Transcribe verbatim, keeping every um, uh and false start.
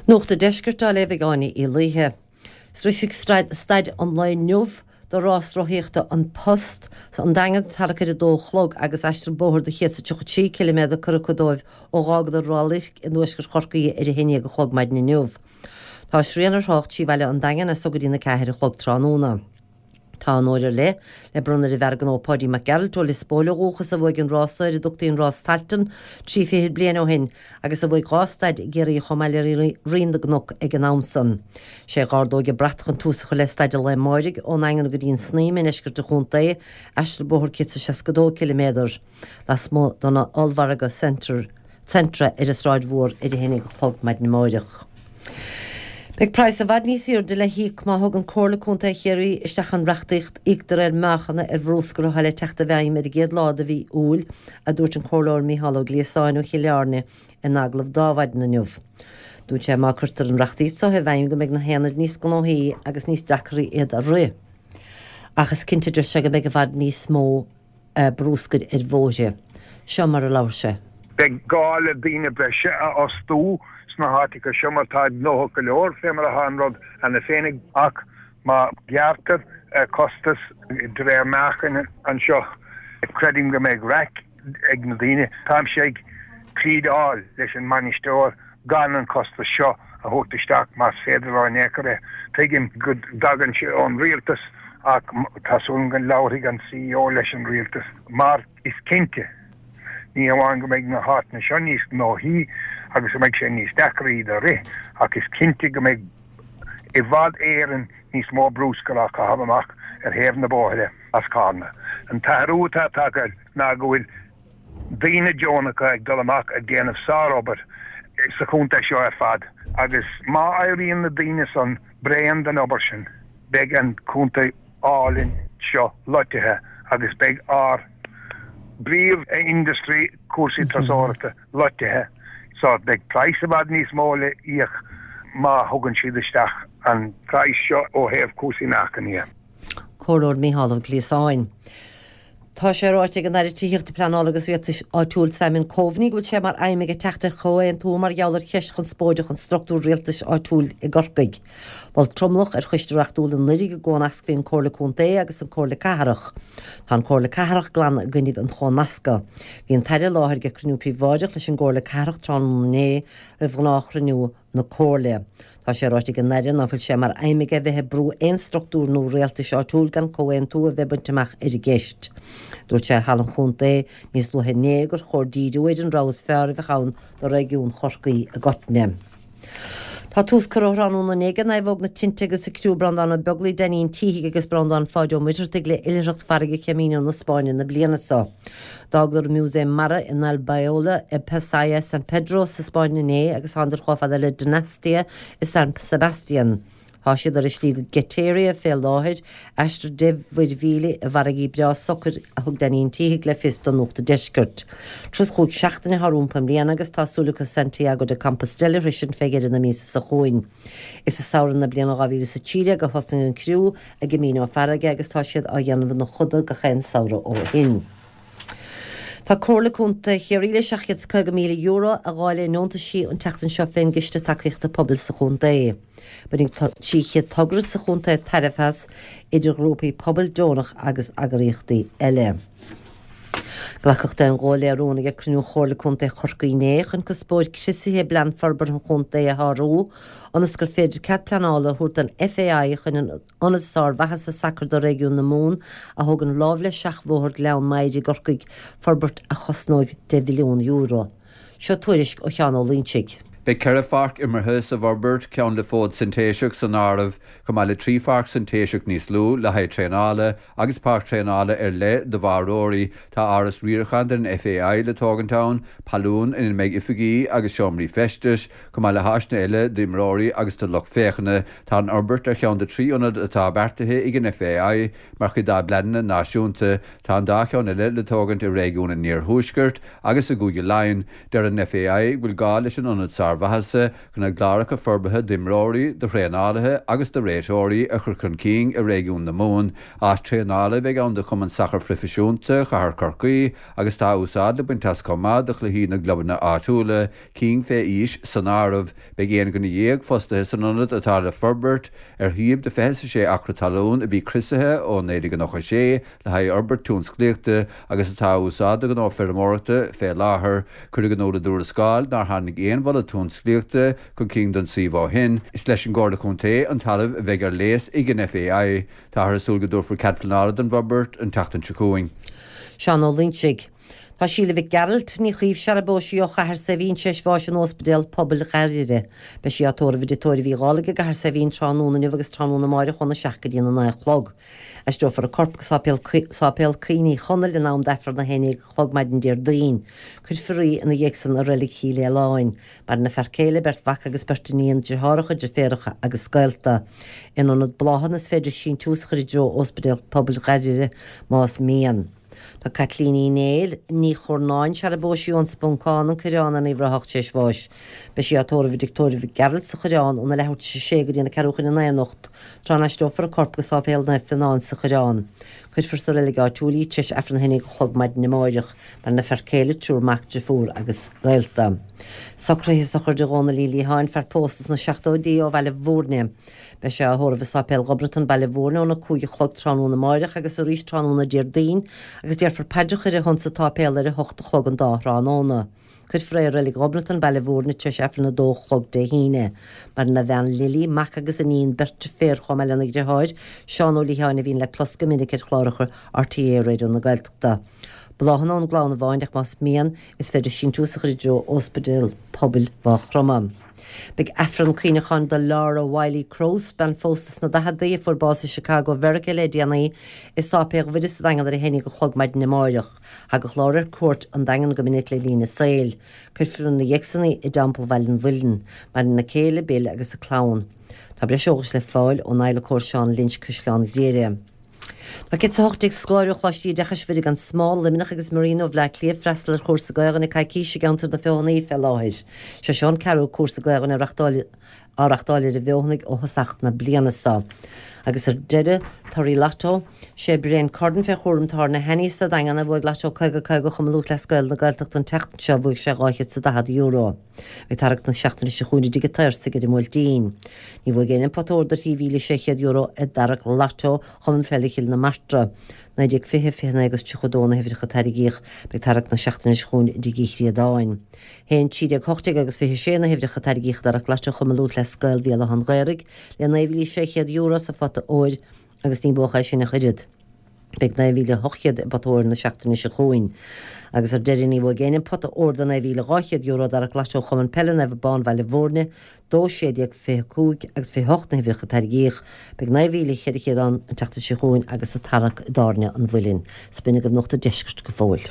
Nuacht an Deiscirt á léamh ag Áine Uí Laoithe. Sroisfidh staid an lae inniu de rás rothaíochta An Post an Daingean tarrac ar a dó a chlog agus aistear bóthair de chéad is tríocha trí ciliméadar curtha acu dóibh ó dh'fhágadar Ráth Luirc i ntuaisceart Chorcaí ar a haon déag a chlog maidin inniu. Tá srian ar thrácht trí bhaile an Daingin as so go dtí na ceathair a chlog tráthnóna. Tá onóir ar leith le bronnadh ar an bhfear gnó Páidí Mac Gearailt ó Lios Póil ó dhúchas a bhuaigh an rása ar a dtugtaí an Rás Tailteann trí fichid bliain ó shin agus a bhuaigh dhá staid i gCiarraí chomh maith le Rinn na gCnoc ag an am san. Sé a ardóidh an brat chun tús a chur le staid an lae amáirigh ón nDaingean go dtí an Snaidhm i ndeisceart an chontae, aistear bóthair céad is seasca dó ciliméadar lasmuigh den ollmhargadh Centre Centra ar an Sráid Mhór ar a haon déag a chlog maidin amáireach. Beidh praghas i bhfad níos airde le híoc má thugann Comhairle Contae Chiarraí isteach an reachtaíocht íoc de réir meáchana ar bhrúscar atá le teacht i bhfeidhm ar an gcéad lá de mhí Iúil, a dúirt an Comhairleoir Micheál Ó Gliasáin ó Chill Airne in agallamh d'Adhmhaidin inniu. Dúirt sé má cuirtear an reachtaíocht seo i bhfeidhm go mbeidh na haonaid níos gnóthaí agus níos deacraí iad a rith. Ach is cinnte deir sé go mbeidh i bhfad níos mó brúscair ar bhóithre. Seo mar a labhair sé. Beidh gá le daoine breise a fhostú sna háiteacha seo mar tá gnóthach go leor fé mar atá an rud cheana féin ach má ghearrtar costas de réir meáchain anseo creidim go mbeidh raic ag na daoine. Táimse ag pléadáil leis an mbainisteoir gan an costas seo a thabhairt isteach más féidir leo in aon chor é. Tuigim go dtagann sé ón rialtas ach tá súil go labharfaidh an CEO leis an rialtas mar is cinnte ní hamháin go mbeidh na háiteanna seo níos gnóthaí agus go mbeidh sé níos deacra iad a rith ach is cinnte go mbeidh i bhfad Éireann níos mó bruscair á chaitheamh amach ar thaobh na bóithre as Carna. An t-athrú atá tagtha ná go bhfuil daoine deonacha ag dul amach ag déanamh sárobair sa chontae seo ar fad agus má éiríonn na daoine san bréan den obair sin beidh an contae álainn seo loitithe agus beidh ár bpríomh-industry cúrsaí turasóireachta loitithe so beidh praghas i bhfad níos mó le íoc má thugann siad isteach an praghas seo ó thaobh cúrsaí meáchain. Comhairleoir Micheál Ó Gliasáin. Tá sé ráite ag an Aire Tithíochta Pleanála agus Rialtais Áitiúil Simon Coveney go bhfuil sé mar aidhm aige teacht ar chomhaontú mar gheall ar cheist chonspóideach an struchtúr rialtais áitiúil i gCorcaigh. Mhol tromlach ar choiste reachtúil anuraidh go gcónascfaí an Comhairle Contae agus an Comhairle Cathrach. Tá an Comhairle Cathrach glan i gcoinnibh an chónasctha. Bhí an tAire i láthair ag cruinniú príobháideach leis an gComhairle Cathrach tráthnóna inné roimh ghnáthchruinniú na Comhairle. Tá sé ráite ag an Aire ná fuil sé mar aidhm aige bheith ag brú aon struchtúr nua rialtais áitiúil gan comhaontú a bheith bainte amach ar an gceist. Dúirt sé halla an chontae níos luaithe inné gur chóir díriú ar an rogha is fearr a bheith ann do réigiún Chorcaí i gcoitinne. Tá tús curtha tráthnóna inné ag Naomhóg na Tinte agus a criú Breandán Ó Beaglaoi, Danny an Títhigh agus Breandán Pháid Ó Muircheartaigh le oilithreacht farraige Camino na Spáinne na bliana seo. D'fhágadar an Músaem Mara in Albaiola i Pasaia San Pedro sa Spáinn inné agus tánadar chomh fada le Donostia i San Sebastian. Tá siad ar a slí go Getaria fé láthair, aistear deich mhuir mhíle i bhfarraigí breá socair a thug Danny an Títhigh le fios don Nuacht Deiscirt. Turas chúig seachtaine atá rompu i mbliana agus tá súil acu Santiago de Compostela freisin fé dheireadh na míosa seo chugainn. Is i samhradh na bliana dhá mhíle is a trí déag a thosnaigh an criú a gCamino farraige agus tá siad á dhéanamh ina choda gach aon samhradh ó shin. Tá Comhairle Contae Chiarraí le seacht gcéad is caoga míle euro a dháileadh i ndeontaisí an tseachtain seo fén gCiste Tacaíochta Pobail sa chontae. Bainfidh trí chéad togra sa chontae tairbhe as idir ghrúpaí pobail deonach agus eagraíochtaí eile. Glacadh d'aon ghuth le rún ag cruinniú Chomhairle Contae Chorcaí inné chun cuspóir criosaithe i bplean forbartha an chontae a shárú, ionas gur féidir cead pleanála a thabhairt don FAI chun an ionad sármhaitheasa sacair do réigiún na Mumhan a thógaint láimh le seachbhóthar Ghleann Maghair i gCorcaigh, forbairt a chosnóidh deich mhilliún euro. Seo tuairisc ó Sheán Ó Loinsigh. Beidh ceithre pháirc imeartha sa bhforbairt ceann le fód sintéiseach san áireamh, chomh maith le trí pháirc sintéiseach níos lú le haghaidh traenála agus páirc traenála ar leith do bháireoirí. Tá áras riaracháin den FAI le tógaint ann, pailliún ina mbeidh oifigí agus seomraí feistis, chomh maith le háiseanna eile d'imreoirí agus do lucht féachana. Tá an fhorbairt ar cheann de trí ionad atá beartaithe ag an FAI mar chuid dá bpleananna náisiúnta. Tá an dá cheann eile le tógaint i réigiún an Iarthuaiscirt agus i gCúige Laighean. Deir an FAI bhfuil gá leis an ionad sár Barr Mhaitheasa chun a gcláracha forbartha d'imreoirí, do thraenálaithe agus do réiteoirí a chur chun cinn i réigiún na Mumhan. Áis traenála a bheidh ann do Chumann Sacair Phroifisiúnta Chathair Chorcaí agus tá úsáid le baint as chomh maith do chluichí na gclubanna áitiúla, cinn fé aois san áireamh. Beidh aon dhuine dhéag fostaithe san ionad atá le forbairt ar shuíomh de fiche sé acra talún a bhí criosaithe ó naoi déag nócha sé le haghaidh fhorbairt tionsclaíochta agus atá á úsáid do ghnó feirmeoireachta fé láthair. Cuireadh in iúl i dtuarascáil nár tháinig aon mholadh tionsclaíochta chun cinn don suíomh ó shin. Is leis an gComhairle Contae an talamh a bheidh ar léas ag an FAI. Táthar ag súil go dtabharfar cead pleanála don bhforbairt an tseachtain seo chugainn. Seán Ó Loingsigh. Tá Síle Mhic Gearailt Ní Chaoimh searbóisí ó Chathair Saidhbhín tar éis bháis in Ospidéal Pobail Ghairire. Beidh sí á tórramh i dTigh Tórraimh Uí Dhálaigh i gCathair Saidhbhín tráthnóna inniu agus tráthnóna amárach óna seacht go dtí a naoi a chlog. Aistreofar a corp go Sáipéal Sáipéal Cuimhní Chonaill in am d'Aifreann a haon déag a chlog maidin Déardaoin. Cuirfear í ina dhiaidh san i Reilig Chill Fhaoláin. Maireann a fear céile beirt mhac agus beirt iníon deartháireacha deirfiúracha agus gaolta. In ionad bláthanna is féidir síntiús a chur i dtreo Ospidéal Pobail Ghairire más mian. Tá Caitlín Uí Néill Ní Churnáin searbóisí ón Spuncán an Coireán Uíbh Ráthach tar éis bháis. Beidh sí á tórramh i dTigh Tórraimh Mhic Gearailt sa Choireán óna leathuair tar éis a sé go dtí na ceathrú chun a naoi anocht, tráth a n-aistreofar a corp go Sáipéal Naomh Fionán sa Choireán. Cuirfear sa reilig áitiúil í tar éis Aifreann a haon déag a chlog maidin amárach, maireann a fear céile triúr mac deirfiúr agus gaolta. Socruithe sochraide Dhónaill Uí Liatháin fear pósta sna seachtóidí ó Bhaile Mhúirne. Beidh sé á thórramh i Sáipéal Ghobnatan Baile Mhúirne óna cúig a chlog tráthnóna amárach agus arís tráthnóna Déardaoin agus déarfar paidreacha ar a shon sa tsáipéal ar a hocht a chlog an dá thráthnóna. Cuirfear é i Reilig Ghobnatan Baile Mhúirne tar éis Aifreann a dó a chlog Dé hAoine. Maireann a bhean Lily, mac agus iníon beirt deirféar chomh maith lena dheartháir, Seán Ó Liatháin a bhíonn le clos go minic ar chláracha RTÉ Raidió na Gaeltachta. Bláthanna ón gclann amháin ach más mian is féidir síntiús a chur i dtreo Ospidéal Pobail Mhaigh Chromtha. Beidh Aifreann cuimhneacháin do Laura Wiley Cross bean phósta sna daicheadaí a fuair bás i Chicago Mheiriceá le déanaí i Sáipéal Mhuire sa Daingean ar a haon déag a chlog maidin amárach. Thagadh Laura ar cuairt an Daingean go minic le linn a saoil. Cuirfear ina dhiaidh san í i dTeampall Bhaile an Mhuilinn, maireann a céile Bill agus a clann. Tá breis eolais le fáil ón adhlacóir Seán Lynch Caisleán Ghriaire. Tá céad is a hocht déag scoláire ó Choláistí Oideachais Mhuire gan Smál, Luimneach agus Marino Bhaile Átha Cliath freastal ar chúrsa Gaelainne coicíse i gceantar na Feothanaí fé láthair. Sé seo an ceathrú cúrsa Gaelainne á reáchtáil ar an bhFeothanaigh ó thosach na bliana seo. Agus ar deireadh torthaí Lotto, sé Brian Cordon fé chúram tábhairne Hanny sa Daingean a bhuaigh Lotto caoga caoga Chumann Lúthchleas Gael na Gaeltachta an tseachtain seo bhuaigh sé dhá chéad is daichead euro. Beidh tarraingt na seachtaine seo chugainn i dTigh an tSaorsaigh ar an mBuailtín. Ní bhuaigh éinne an pota óir de thrí mhíle sé chéad euro i dtarraingt Lotto Chumann Peile Chill na Martra. Naoi déag fiche, fiche naoi agus tríocha dó na huimhreacha a tairgíodh, beidh tarraingt na seachtaine seo chugainn i dTigh Uí Chríodáin. Haon trí déag hocht déag agus fiche sé na huimhreacha a tairgíodh i dtarraingt Lotto Chumann Lúthchleas Gael Bhéal Átha an Ghaorthaidh le naoi mhíle sé chéad euro sa phota óir agus ní buadh é sin ach oiread. Beidh naoi mhíle ocht chéad i bpota óir na seachtaine seo chugainn. Agus ar deireadh ní bhuaigh éinne an pota óir de naoi mhíle dhá chéad euro i dtarraingt Lotto Chumann Peile Naomh Abán Bhaile Mhúirne, dó sé déag fiche cúig agus fiche hocht na huimhreacha a tairgíodh. Beidh naoi mhíle cheithre chéad ann an tseachtain seo chugainn agus sa tarraingt i dTábhairne an Mhuilinn. Is b'in agaibh Nuacht an Deiscirt go fóill.